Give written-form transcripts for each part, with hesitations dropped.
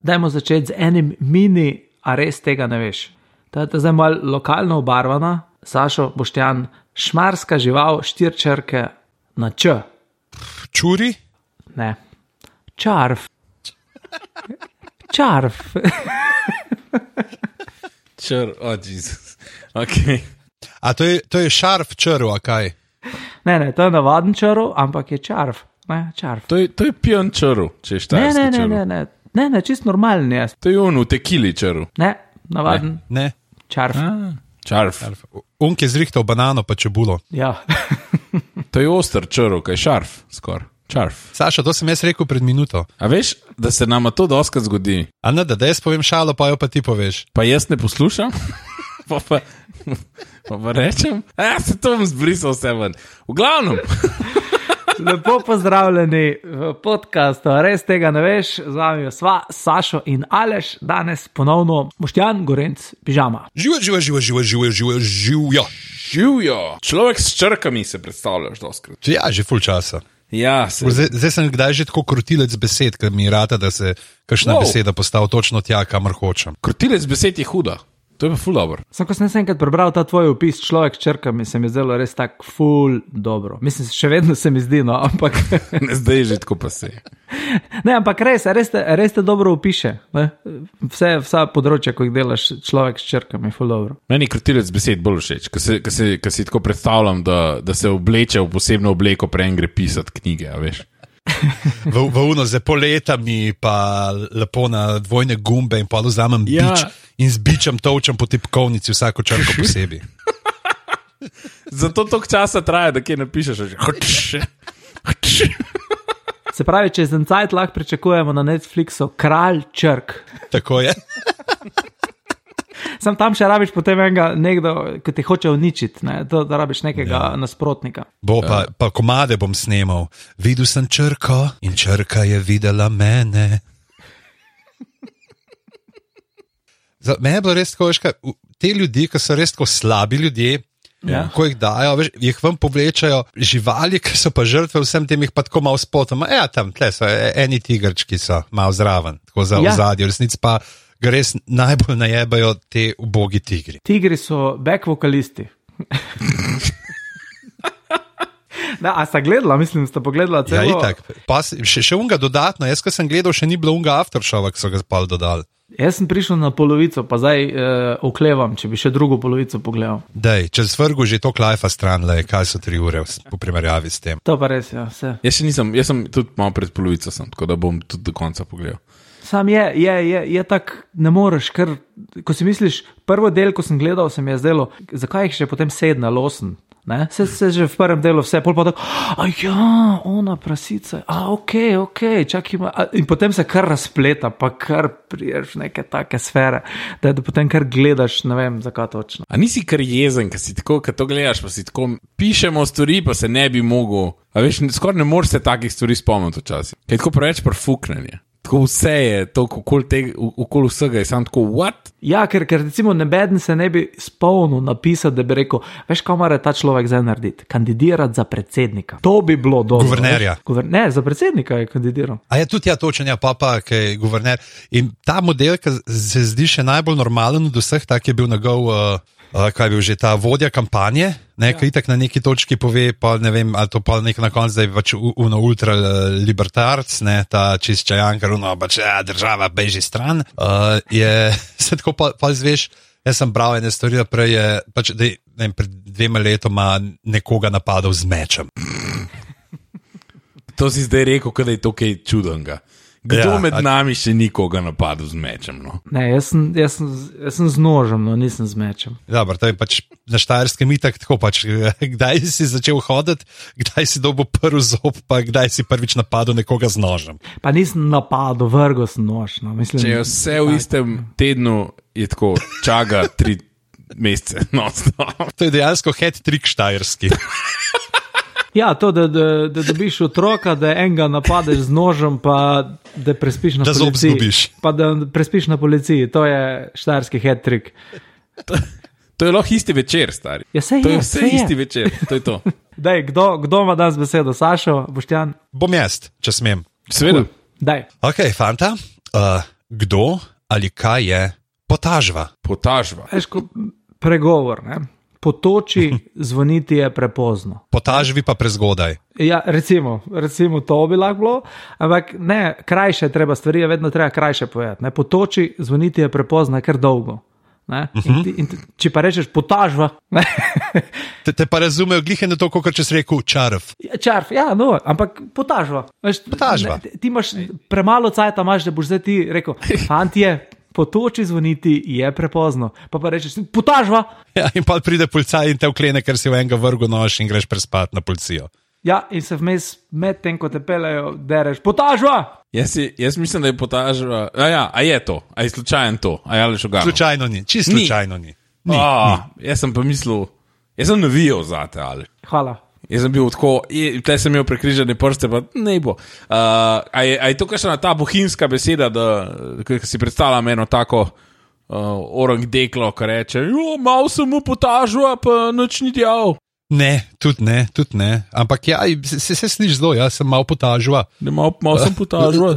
Dajmo začeti z enim mini, a res tega ne veš. To je zdaj malo lokalno obarvana. Sašo, Boštjan, šmarska žival, 4 črke na Č. Čuri? Ne. Čarf. Čarf. Jezus. Okay. A to je šarf črv, a kaj? Ne, to je navaden črv, ampak je čarf. Ne, čarf. To je pijan črv, če je štajerski črv. Ne, čist normalen je. To je on v tekili črv. Ne, navaden. Ne. Čarf. Čarf. Unk je zrihtal banano pa čebulo. Ja. To je oster črv, kaj šarf skor. Čarf. Saša, to sem jaz rekel pred minuto. A veš, da se nama to doskrat zgodi? A ne, da jaz povem šalo, pa jo pa ti poveš. Pa jaz ne poslušam? pa rečem? Se to bom zbrisal vse ven. V glavnem. Lepo pozdravljeni v podcastu, res tega ne veš, z vami sva Sašo in Aleš, danes ponovno Boštjan Gorenc, pižama. Živijo. Človek s črkami se predstavljaš doskrat. Ja, že ful časa. Ja, zdaj sem kdaj že tako krutilec besed, ker mi rata, da se kakšna beseda postavi točno tja, kamor hočem. Krutilec besed je huda. To je pa ful dobro. Sam, ko sem enkrat prebral ta tvoj opis človek s črkami, se mi zdelo res tak ful dobro. Mislim, še vedno se mi zdi, no, ampak... Ne, zdaj je že tako pa se. Ne, ampak res te dobro opiše. Ne? Vsa področja, ko jih delaš človek s črkami, ful dobro. Meni krutilec besed bolj všeč, ko si tako predstavljam, da se obleče v posebno obleko, prej gre pisati knjige, a veš. v uno z poletami, pa lepo na dvojne gumbe in pa vzamem bič in z bičem točem po tipkovnici vsako črko posebej. Zato toliko časa traja, da kje napišeš. Se pravi, čez en cajt lahko pričakujemo na Netflixu Kralj črk. Tako je. Sam tam še rabiš potem nekdo, ki te hoče uničiti, ne? Da rabiš nekega nasprotnika. Pa komade bom snemal. Videl sem črko in črka je videla mene. Mene je bilo res tako, te ljudi, ki so res tako slabi ljudje, ko jih dajo, veš, jih vam povlečajo živali, ki so pa žrtve vsem tem, jih pa tako malo spotoma. Tam, tle so eni tigrčki so malo zraven, tako za ozadje, v resnici pa ga res najbolj najebajo te ubogi tigri. Tigri so back vokalisti. A sta gledala, mislim, sta pogledala celo... Ja, itak. Pa še unga dodatno, jaz, ko sem gledal, še ni bilo unga aftershowa, ki so ga spal dodali. Jaz sem prišel na polovico, pa zdaj oklevam, če bi še drugo polovico pogledal. Dej, če svrgu že to klajfa stran, kaj so 3 ure v primerjavi s tem. To pa res, ja, vse. Jaz sem tudi malo pred polovico, tako da bom tudi do konca pogledal. Sam je tak, ne moreš, ker ko si misliš, prvo del, ko sem gledal, se mi je zdelo, zakaj jih še potem 7 ali 8, ne? Se že v prvem delu vse, pol pa tako, ona prasica, okej, čak ima, in potem se kar razpleta, pa kar priješ neke take sfere, da potem kar gledaš, ne vem, zakaj točno. A nisi kar jezen, kad to gledaš, pa si tako, pišemo stvari, pa se ne bi mogel, a veš, skoraj ne moreš se takih stvari spomniti včasih, kaj tako preveč prfuknanje. Tako vse je, okoli vsega je sam tako, what? Ja, ker recimo nebeden se ne bi spomnil napisati, da bi rekel, veš, kaj mora ta človek zdaj narediti? Kandidirati za predsednika. To bi bilo dobro. Guvernerja. Ne, za predsednika je kandidiral. A je tudi točen, papa, ki je guverner. In ta model, ki se zdi še najbolj normalen od vseh, tak je bil njegov... kaj je bil že ta vodja kampanje, ki itak na neki točki pove, pa ne vem, ali to pa nek na konc, da je pač ultralibertarc, ta čistčajankar, država beži stran, je se tako pa zveš, jaz sem bral ene stvari, prej je, pač, da je, ne vem, pred 2 letoma nekoga napadal z mečem. To si zdaj rekel, kada je to kaj čudenga. Kdo med nami še nikoga napadel z mečem, no? Ne, jaz sem z nožem, no, nisem z mečem. Dobro, to je pač na Štajerskem itak tako pač, kdaj si začel hoditi, kdaj si dobil prvi zob, pa kdaj si prvič napadel nekoga z nožem. Pa nisem napadel, vrgel sem nož, no, mislim. Če je vse v istem tednu, je tako, čaga 3 mesece, no. To je dejansko hat-trick štajerski. Ja, to, da dobiš otroka, da enega napadeš z nožem, pa da prespiš na policiji. Da zob zgubiš. Pa da prespiš na policiji, to je štajerski hat-trick. To je lahko isti večer, stari. Ja, to je vse isti večer, to je to. Daj, kdo ima danes besedo? Sašo, Boštjan? Bom jaz, če smem. Seveda. Daj. Ok, fanta, Kdo ali kaj je potažba? Potažba. Veš, pregovor, ne? Potoči, zvoniti je prepozno. Potažbi pa prezgodaj. Ja, recimo to bi lahko bilo, ampak ne, krajše treba stvari, je vedno treba krajše povedati. Ne? Potoči, zvoniti je prepozno, je kar dolgo. Če pa rečeš potažba. Te pa razumejo glihe na to, kot če si rekel čarf. Čarf, ja, no, ampak potažba. Potažba. Ti imaš premalo cajta, da boš zdaj ti rekel, fantje, potoči, zvoniti je prepozno. Pa rečeš, potažba. Ja, in pa pride policaj in te vklene, ker si v enega vrgu nož in greš prespat na policijo. Ja, in se vmes med tem, ko te pelejo, dereš, potažba! Jaz mislim, da je potažba. A je to? A je slučajno to? A je ali šogano? Slučajno ni, čisto slučajno ni. Jaz sem pa mislil, jaz sem navijal zate, ali. Hvala. Jaz sem bil tako, tle sem imel prekrižane prste, pa ne bo. A je to kakšna ta bohinjska beseda, da si predstavljam eno tako orang deklo, ki reče, malo sem mu potažba, pa nič ni djal. Ne, tudi ne. Ampak ja, se sliši zelo, jaz sem malo potažba. Malo sem potažba.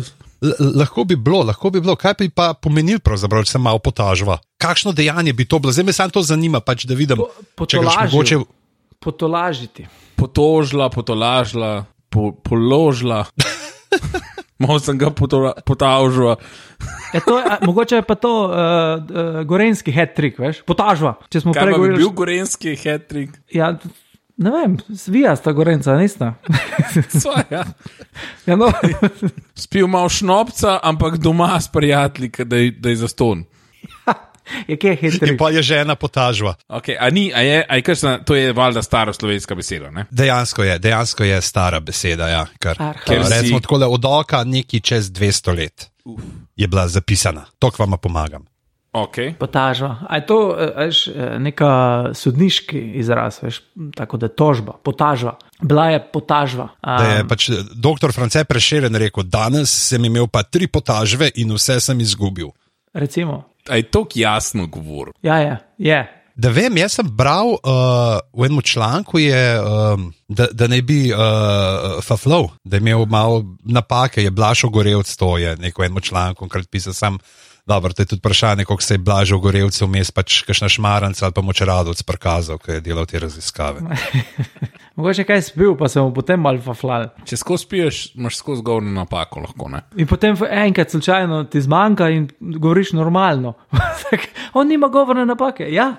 Lahko bi bilo. Kaj bi pa pomenil pravzaprav, če sem malo potažba? Kakšno dejanje bi to bilo? Zdaj me samo to zanima, pač da vidim, če ga mogoče... Potolažiti. Potožila, potolažila, položila. Malo sem ga potažba. Mogoče je pa to gorenski hat-trick, veš? Potažba. Kaj pa bi bil gorenski hat-trick? Ja, ne vem, svija sta gorenca, nista. Svoja. Ja, no. Spil malo šnopca, ampak doma s prijatelji, da je zaston. Je kje hat-trick? In pa je žena potažba. Okay, to je valjda stara slovenska beseda, ne? Dejansko je stara beseda, ja. Recimo takole od oka neki čez 200 let je bila zapisana. To k vama pomagam. Okay. Potažba. A je to neka sodniški izraz, veš, tako da je tožba, potažba. Bila je potažba. Da je pač doktor France Prešeren rekel, danes sem imel pa 3 potažbe in vse sem izgubil. Recimo. A je to jasno govor? Ja, je. Da vem, jaz sem bral v enem članku, da ne bi faflov, da je imel malo napake, je Blažo Gorevc, to je neko enem članku, krat pisal sam. Dobro, to je tudi vprašanje, koliko se je Blažo Gorevc vmes pač kakšna šmaranca ali pa močeradovc prikazal, ko je delal te raziskave. Mogoče kaj spil, pa se mu potem malo faflal. Če skozi spiješ, imaš skozi govorno napako lahko, ne? In potem enkrat slučajno ti zmanjka in govoriš normalno. On nima govorne napake, ja.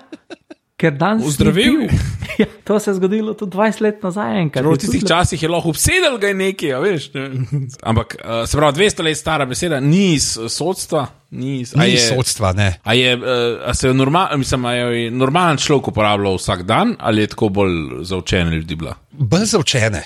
Ker danes Ozdravil. Ja, to se je zgodilo tudi 20 let nazaj enkrat. V tistih časih je lahko obsedel ga nekaj, a veš. Ampak, se pravi, 200 let stara beseda, ni iz sodstva. Ni sodstva, ne. A je normalen človek uporabljal vsak dan, ali je tako bolj zaučene ljudi bila? Bolj zaučene.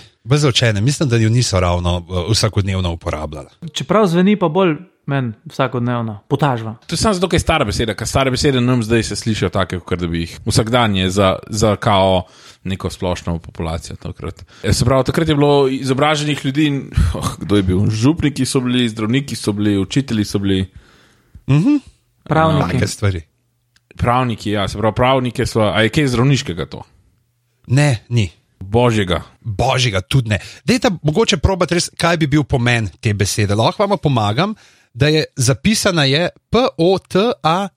Mislim, da jo niso ravno vsakodnevno uporabljali. Čeprav zveni pa bolj meni vsakodnevno. Potažba. To je samo zato, ker je stara beseda, ker stare besede nam zdaj se slišijo take, kot da bi jih vsak dan je za kao neko splošno populacijo. Se pravi, takrat je bilo izobraženih ljudi, kdo je bil? Župniki so bili, zdravniki so bili, učitelji so bili. Pravniki. Stvari. Pravniki, ja, se pravi, pravniki so. A je kaj zdravniškega to? Ne, ni. Božjega, tudi ne. Dajte mogoče probati res, kaj bi bil pomen te besede. Lahko vam pomagam, da je zapisana je P-O-T-A-S-H-V-A.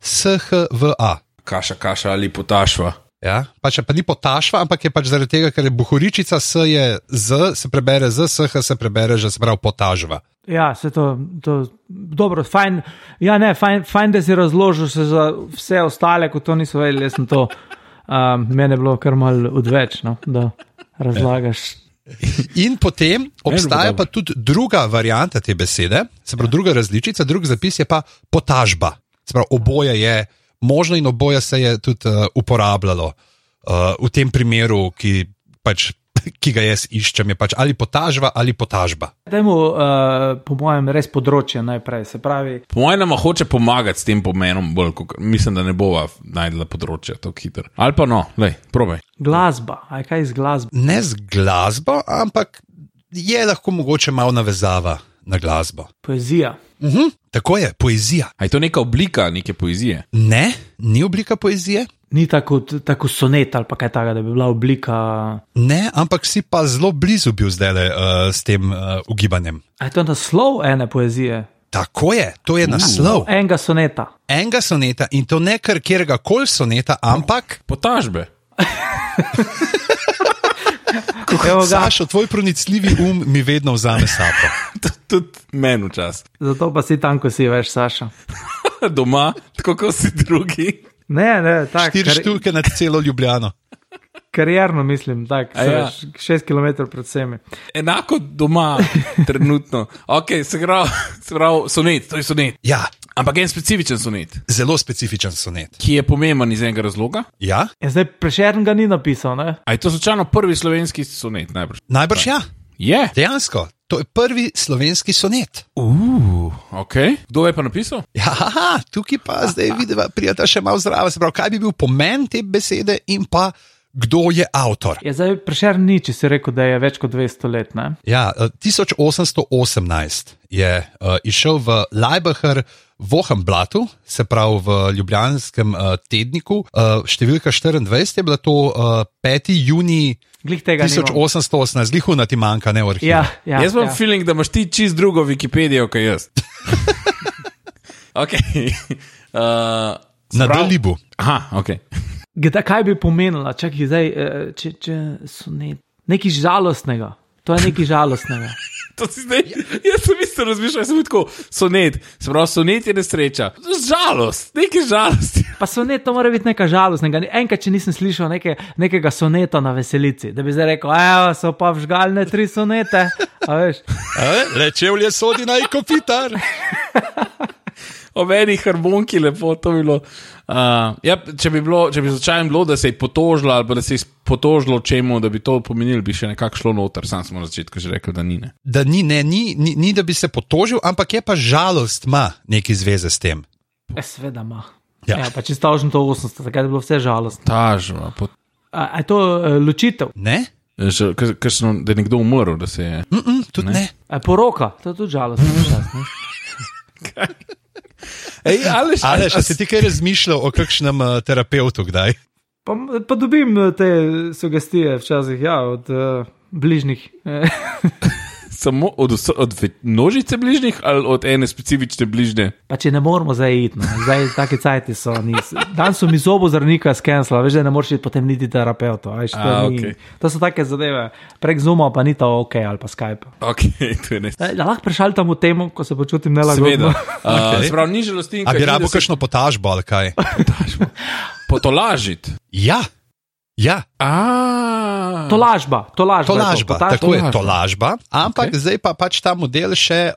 Kaša ali potašva. Ja, pač pa ni potašva, ampak je pač zaradi tega, ker je bohoričica S je Z, se prebere Z, S-H se prebere, že se pravi potažva. Ja, se to dobro, fajn, ja ne, fajn, da si razložil se za vse ostale, ko to niso vedeli, jaz sem to, mene je bilo kar malo odveč, no, da razlagaš. In potem obstaja pa tudi druga varianta te besede, se pravi druga različica, drug zapis je pa potažba. Se pravi, oboje je možno in oboje se je tudi uporabljalo v tem primeru, ki ga jaz iščem, je pač ali potažba ali potažba. Dajmo, po mojem, res področje najprej, se pravi. Po mojem nama hoče pomagati s tem pomenom, bolj, mislim, da ne bova najdela področja tako hitro. Ali pa no, lej, probaj. Glasba, aj kaj z glasbo? Ne z glasbo, ampak je lahko mogoče malo navezava na glasbo. Poezija. Tako je, poezija. A je to neka oblika neke poezije? Ne, ni oblika poezije. Ni tako sonet ali pa kaj takega, da bi bila oblika. Ne, ampak si pa zelo blizu bil zdaj s tem ugibanjem. A je to naslov ene poezije? Tako je, to je naslov. Enega soneta. Enega soneta in to ne kar kjerega koli soneta, ampak Potažbe. Evo ga. Sašo, tvoj pronicljivi mi vedno vzame sapo. Tudi meni včasih. Zato pa si tam, ko si veš, Saša. Doma, tako kot si drugi. Ne, tako. 4 štuke nad celo Ljubljano. Karierno mislim, tako, ja. 6 km pred vsemi. Enako doma, trenutno. Ok, se pravi, sonet, to je sonet. Ja, Ampak en specifičen sonet, zelo specifičen sonet. ki je pomemben iz enega razloga. Ja, Ja, zdaj Prešern ga ni napisal, ne? A je to slučajno prvi slovenski sonet najbrž? najbrž ja, Je. dejansko. To je prvi slovenski sonet. Ok. Kdo je pa napisal? Ja, haha, tukaj pa zdaj vidiva, prijeta še malo zraven. Se pravi, kaj bi bil pomen te besede in pa kdo je avtor. Ja, zdaj Prešern ni, če si rekel, da je več kot 200 let, ne? Ja, 1818 je išel v Leibacher Wochenblattu, se pravi v ljubljanskem tedniku. Številka 24 je bila to 5. junij Glih tega nimam. 1818, zlihuna ti manjka, ne v arhivu. Ja, Jaz imam feeling, da imaš ti čist drugo Wikipedijo, kot jaz. Ok. Na Dalibu. Aha, ok. Kaj bi pomenila? Čakaj, zdaj, če sonet. Nekaj žalostnega. To je nekaj žalostnega. To si zdaj, jaz sem isto razmišljal, sem bil tako, sonet, se pravi, sonet je nesreča. Žalost, nekaj žalosti. Pa sonet to mora biti nekaj žalostnega. Enkrat, če nisem slišal nekega soneta na veselici, da bi zdaj rekel, evo, so pa vžgalne 3 sonete. A veš? Rečevlje sodi naj kopitar. O meni harmonki lepo, to bi bilo. Ja, če bi začajem bilo, da se je potožilo ali pa da se je potožilo čemu, da bi to pomenilo, bi še nekako šlo noter, sam smo na začetku že rekel, da ni. Ne. Da ni, da bi se potožil, ampak je pa žalost ima neki zveze s tem. Sveda ima. Ja. Ja, pa če stavžem to 800, takrat je bilo vse žalostno. Tažva, A je to ločitev? Ne? da je nekdo umrl, da se je. Tudi ne. A je poroka? To je tudi žalostno. Ej, Aleš, a si ti kaj razmišljal o kakšnem terapeutu kdaj? Pa dobim te sugestije včasih, ja, od bližnjih. Samo od množice bližnjih ali od ene specifične bližnje? Pa če ne moramo zdaj iti, no. Zdaj take cajti so. Dan so mi zobozdravnika skenslali, veš, da ne moreš iti potem niti terapeutu. Okay. To so take zadeve. Prek Zooma pa ni to ok ali pa Skype. Ok, to je ne. Da lahko prešaltam v temo, ko se počutim nelagodno. Seveda. Okay. Sprav, ni žalostinka. A bi rabo kakšno potažbo ali kaj? Potolažiti. Ja. Tolažba. Tako je, tolažba. Ampak zdaj pa pač ta model še,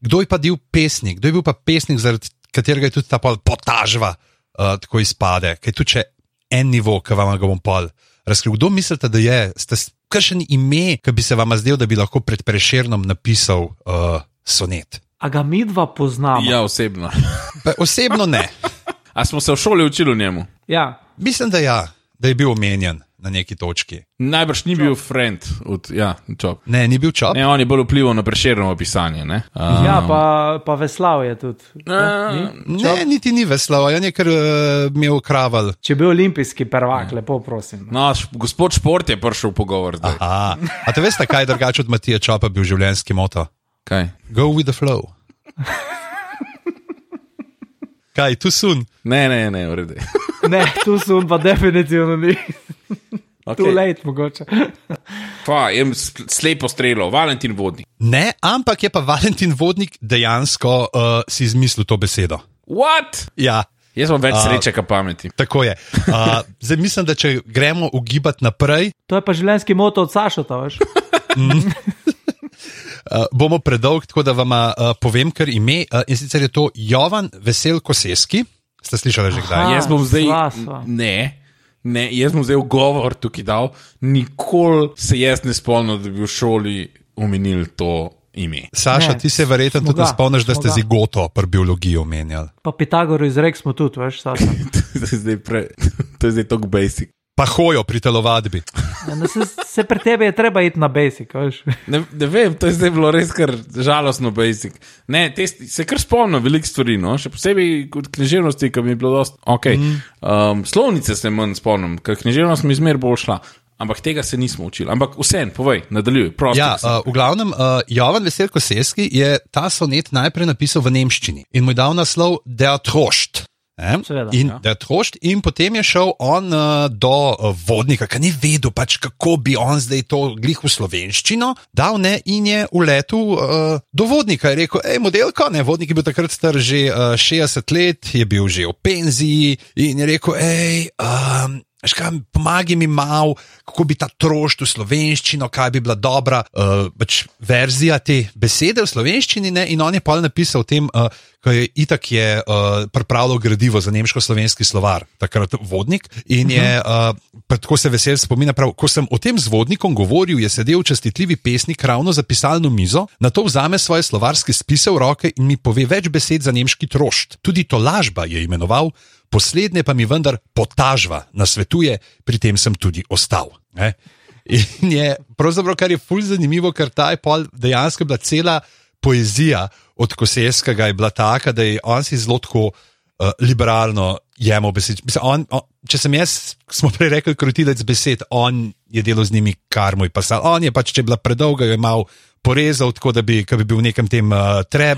kdo je pa bil pesnik, kdo je bil pa pesnik, zaradi katerega je tudi ta potažba tako izpade, kaj tu če en nivo, ki vam ga bom pol razkril. Kdo mislite, da je, ste kakšen ime, ki bi se vam zdel, da bi lahko pred Prešernom napisal sonet? A ga mi dva poznamo? Ja, osebno. Osebno ne. A smo se v šoli učili o njemu? Ja. Mislim, da ja. Da je bil omenjen na neki točki. Najbrž ni bil friend od, ja, Čop. Ne, ni bil Čop. Ne, on je bolj vplival na Prešernovo pisanje, ne? Ja, pa Veslav je tudi. Ne, niti ni Veslav, on je kar imel kraval. Če bi bil olimpijski prvak, lepo prosim. No, gospod Šport je prišel v pogovor zdaj. Aha, a te veste, kaj drugače od Matija Čopa bil življenjski moto? Kaj? Go with the flow. Kaj, tu sun? Ne, v redu. Ne, tu sun pa definitivno ni. Okay. Too late mogoče. Pa, jem slepo strelo, Valentin Vodnik. Ne, ampak je pa Valentin Vodnik dejansko si izmislil to besedo. What? Ja. Jaz imam več sreče, kot pameti. Tako je. Zdaj mislim, da če gremo ugibati naprej. To je pa življenjski moto od Sašota, veš? Bomo predolg, tako da vam povem kar ime. In sicer je to Jovan Vesel Koseski. Ste slišali že kdaj? Jaz bom zdaj. sva. Ne, jaz bom zdaj ugovor tukaj dal. Nikoli se jaz ne spomnim, da bi v šoli omenili to ime. Saša, Ne, ti se verjetno smo tudi ga, spomniš, da smo ste ga. zigoto pri biologiji omenjali. Pa Pitagor izrek smo tudi, veš, Saša. To je zdaj tok basic. Pa hojo pri telovadbi. Ja, no, se pri tebi je treba iti na basic, veš. Ne vem, to je zdaj bilo res kar žalostno basic. Ne, se kar spomnim veliko stvari, no? Še posebej kot književnosti, ki mi je bilo dosti. Okay. Slovnice se manj spomnim, ker književnost mi zmer bolj šla. ampak tega se nismo učili. Ampak vsem, povej, nadaljuj. Ja, v glavnem, Jovan Veselko Koseski je ta sonet najprej napisal v nemščini in mu je dal naslov Der Trost. In potem je šel on do vodnika, ki ni vedel, pač, kako bi on zdaj to glih v slovenščino dal, ne, in je uletel do vodnika. Je rekel, modelko, ne, vodnik je bil takrat star že 60 let, je bil že v penziji in je rekel, pomagi mi malo, kako bi ta trošt v slovenščino, kaj bi bila dobra pač verzija te besede v slovenščini, ne? In on je pa napisal o tem, ko je itak pripravljal gradivo za nemško-slovenski slovar, takrat vodnik, in je, tako se vesel spomina, prav, ko sem o tem z vodnikom govoril, je sedel častitljivi pesnik ravno za pisalno mizo, nato vzame svoje slovarske spise v roke in mi pove več besed za nemški trošt. Tudi tolažba je imenoval, poslednje pa mi vendar potažva nasvetuje, pri tem sem tudi ostal. Ne? In je pravzaprav, kar je ful zanimivo, ker ta je pol dejansko bila cela poezija od Koseskega je bila taka, da je on si zelo tako liberalno jemal besed. Mislim, če sem jaz, smo prej rekli krotilec besed, on je delal z njimi, kar mu je pasal. On je pač, če je bila predolga, je mal porezal, tako da bi bil v nekem tem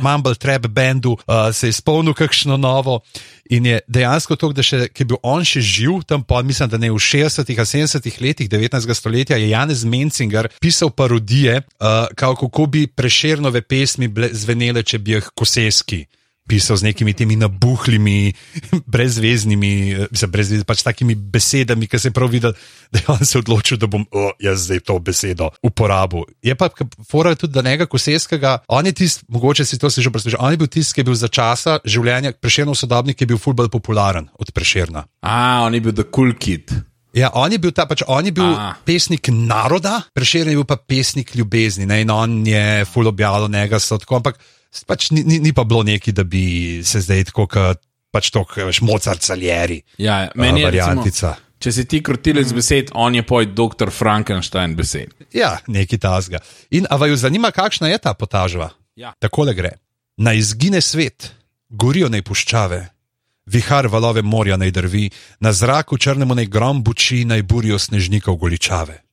mumble trap bandu, se je spomnil kakšno novo in je dejansko to, da še, ki je bil on še živ, tam pa mislim, da ne v 60-ih, 70-ih letih 19. stoletja je Janez Mencinger pisal parodije, kako bi Prešernove pesmi zvenele, če bi jih Koseski pisal z nekimi temi nabuhlimi, brezveznimi, pač takimi besedami, ki se je prav videl, da je on se odločil, da bom jaz zdaj to besedo uporabil. Je pa fora tudi, da njega Koseskega, on je tist, mogoče si to si že preslušal, on je bil tist, ki je bil za časa življenja Prešernov sodobnik, ki je bil ful bolj popularen od Prešerna. On je bil the cool kid. Ja, on je bil pesnik naroda, Prešern je bil pa pesnik ljubezni, ne? In on je ful objavljal njega, ampak pač ni pa bilo neki, da bi se zdaj tako, pač to, veš, Mozart Salieri. Ja, meni je variantica. Če si ti krotilec besed, on je poj dr. Frankenstein besed. Ja, neki tasga. In a vaju zanima, kakšna je ta potažba? Ja. Takole gre. Naj izgine svet, gorijo naj puščave, vihar valove morja naj drvi, na zraku črnemu naj grom buči, naj burijo snežnikov goličave.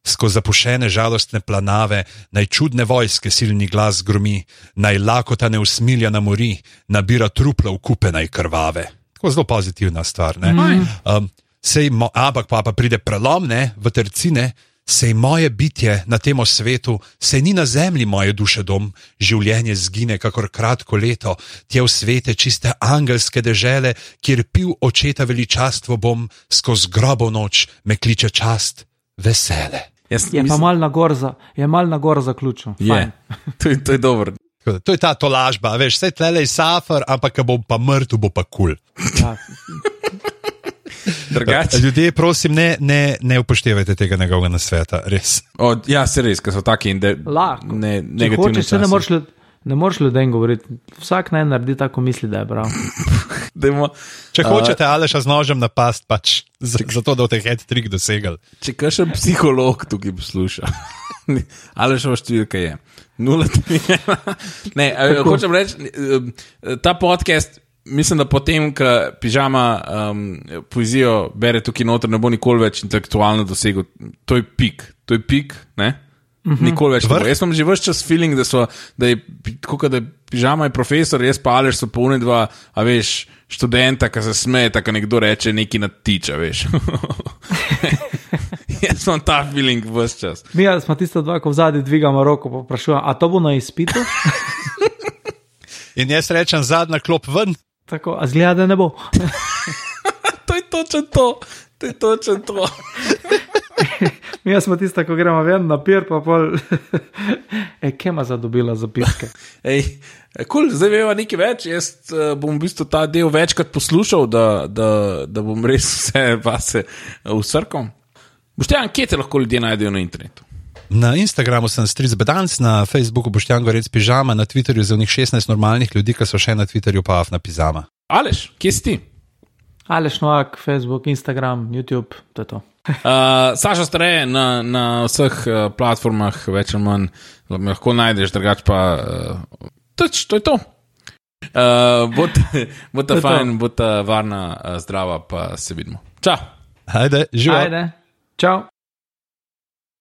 Skozi zapušene žalostne planave, naj čudne vojske silni glas gromi, naj lakota neusmiljana mori, nabira trupla v kupe naj krvave. Tako zelo pozitivna stvar, ne? Ampak pa pride prelom, ne, v tercine, sej moje bitje na temo svetu, sej ni na zemlji moje duše dom, življenje zgine kakor kratko leto, tje v svete čiste angelske dežele, kjer pil očeta veličastvo bom, skozi grobov noč me kliče čast, vesele. Je pa mal na gor zaključil. To je dobro. To je ta tolažba, veš, vse tlele je safar, ampak ko bom pa mrtev, bo pa kul. Ja. Ljudje, prosim, ne upoštevajte tega njegovega nasveta, res. Ja, se res, ker so taki negativni časi. Ne moreš ljudem govoriti, vsak naj naredi tako misli, da je prav. Če hočete Aleša z nožem napast, pač zato, da boste hat-trick dosegali. Če kakšen psiholog tukaj posluša, Alešova številka je 0. Ne, hočem reči, ta podcast, mislim, da potem, ko Pižama poezijo bere tukaj noter, ne bo nikoli več intelektualno dosegel. To je pik, ne? Nikoli več. Jaz imam že ves čas feeling, da je Pižama je profesor, jaz pa Aleš so pa unedva, a veš, študenta, ki se smeje, tako nekdo reče neki natiča, veš. Jaz imam ta feeling ves čas. Mi smo tisto dva, ko v zadnji dvigamo roko, pa vprašujem, a to bo na izpitu? In jaz rečem, zadnja klop ven. Tako, a zgleda, da ne bo. To je točno to. Mi smo tista, ko gremo ven na pir, pa pol... Kje ima zadobila zapiske? Zdaj veva nekaj več, jaz bom v bistvu ta del večkrat poslušal, da bom res vse vase usrkal. Boštjan, kje te lahko ljudje najdejo na internetu? Na Instagramu sem Stric Bedanc, na Facebooku Boštjan Gorec Pižama, na Twitterju za njih 16 normalnih ljudi, ki so še na Twitterju pa Afna Pizama. Aleš, kje si ti? Aleš Novak, Facebook, Instagram, YouTube, to je to. Saša Stareje na vseh platformah, več ali manj, lahko najdeš, drugač pa to je to. Bota fajn, bota varna, zdrava, pa se vidimo. Čau. Ajde, živa. Ajde, čau.